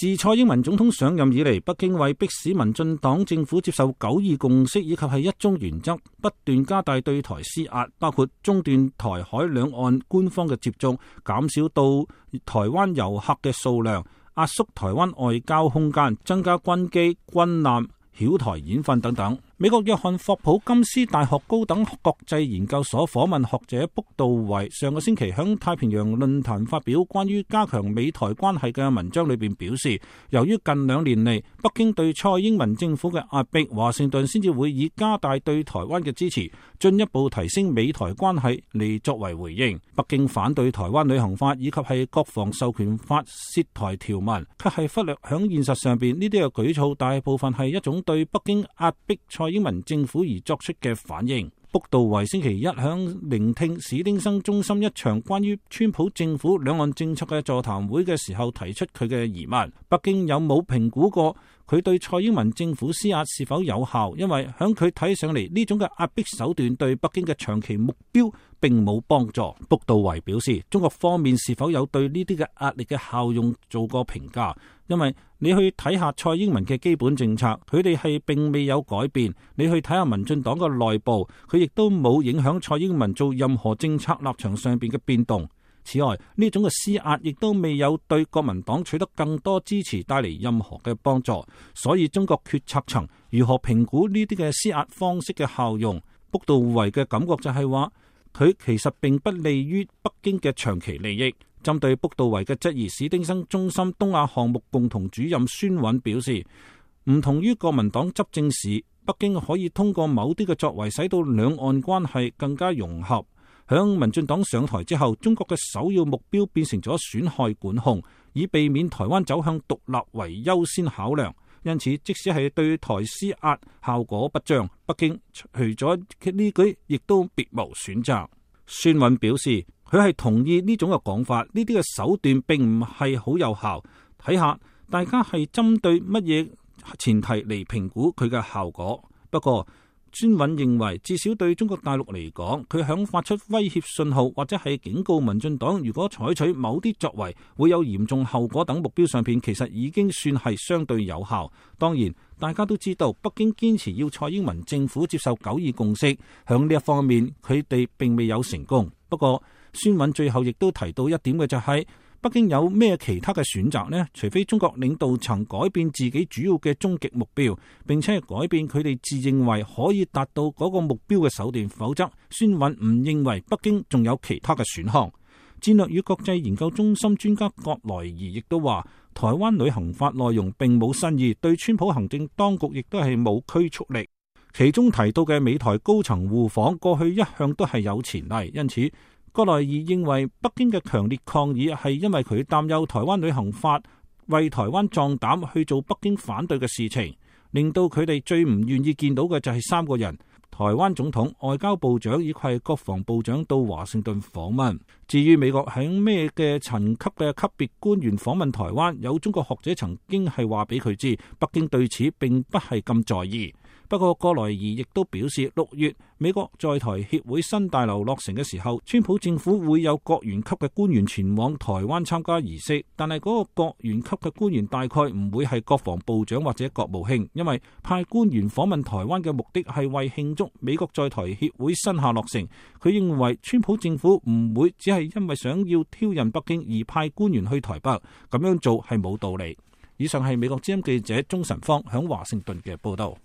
自蔡英文總統上任以嚟，北京為迫使民進黨政府接受9·2共識以及係一中原則，不斷加大對台施壓，包括中斷台海兩岸官方嘅接觸，減少到台灣遊客嘅數量，壓縮台灣外交空間，增加軍機、軍艦、曉台演訓等等。美國約翰霍普金斯大學高等國際研究所訪問學者卜道維上個星期響太平洋論壇發表關於加強美台關係嘅文章裏邊表示，由於近2年嚟北京對蔡英文政府嘅壓迫，華盛頓先至會以加大對台灣嘅支持，進一步提升美台關係嚟作為回應。北京反對台灣旅行法以及係國防授權法涉台條文，卻係忽略響現實上邊呢啲嘅舉措大部分係一種對北京壓迫蔡英文政府而作出嘅反應。卜道維星期一響聆聽史丁生中心一場關於川普政府兩岸政策嘅座談會嘅時候，提出佢嘅疑問：北京有冇評估過佢對蔡英文政府施壓是否有效？因為響佢睇上嚟，呢種嘅壓迫手段對北京嘅長期目標並冇幫助。卜道維表示，中國方面是否有對呢啲嘅壓力嘅效用做過評價？因為你去睇下蔡英文嘅基本政策，佢哋係並未有改變。你去睇下民進黨嘅內部，佢亦都冇影響蔡英文做任何政策立場上邊嘅變動。此外，呢種嘅施壓亦都未有對國民黨取得更多支持帶嚟任何嘅幫助。所以中國決策層如何評估呢啲嘅施壓方式嘅效用？卜道維嘅感覺就係話，佢其實並不利於北京嘅長期利益。針對卜道維嘅質疑，史丁生中心東亞項目共同主任孫韻表示，唔同於國民黨執政時，北京可以通過某啲嘅作為使到兩岸關係更加融合。響民進黨上台之後，中國嘅首要目標變成咗損害管控，以避免台灣走向獨立為優先考量。因此，即使係對台施壓效果不彰，北京除咗呢句，亦都別無選擇。孫韻表示，佢係同意呢種嘅講法，呢啲嘅手段並唔係好有效。睇下大家係針對乜嘢前提嚟評估佢嘅效果。不過孫韻認為，至少對中國大陸嚟講，佢響發出威脅信號或者係警告民進黨如果採取某啲作為會有嚴重後果等目標上邊，其實已經算係相對有效。當然大家都知道，北京堅持要蔡英文政府接受9·2共識，響呢一方面佢哋並未有成功。不過孫韻最後亦都提到一點嘅就係，北京有咩其他嘅選擇呢？除非中國領導層改變自己主要嘅終極目標，並且係改變佢哋自認為可以達到嗰個目標嘅手段，否則孫韻唔認為北京仲有其他嘅選項。戰略與國際研究中心專家葛萊儀亦都話，台灣旅行法內容並冇新意，對川普行政當局亦都係冇拘束力。其中提到嘅美台高層互訪，過去一向都係有前例，因此葛萊儀認為北京嘅強烈抗議係因為佢擔憂台灣旅行法為台灣壯膽去做北京反對嘅事情，令到佢哋最唔願意見到嘅就係3個人：台灣總統、外交部長以及國防部長到華盛頓訪問。至於美國喺咩嘅層級嘅級別官員訪問台灣，有中國學者曾經係話俾佢知，北京對此並不係咁在意。不過葛萊儀亦都表示，6月美國在台協會新大樓落成嘅時候，川普政府會有國員級嘅官員前往台灣參加儀式，但係嗰個國員級嘅官員大概唔會係國防部長或者國務卿，因為派官員訪問台灣嘅目的係為慶祝美國在台協會新廈落成。佢認為川普政府唔會只係因為想要挑釁北京而派官員去台北，咁樣做係冇道理。以上係美國之音記者鍾晨芳響華盛頓嘅報道。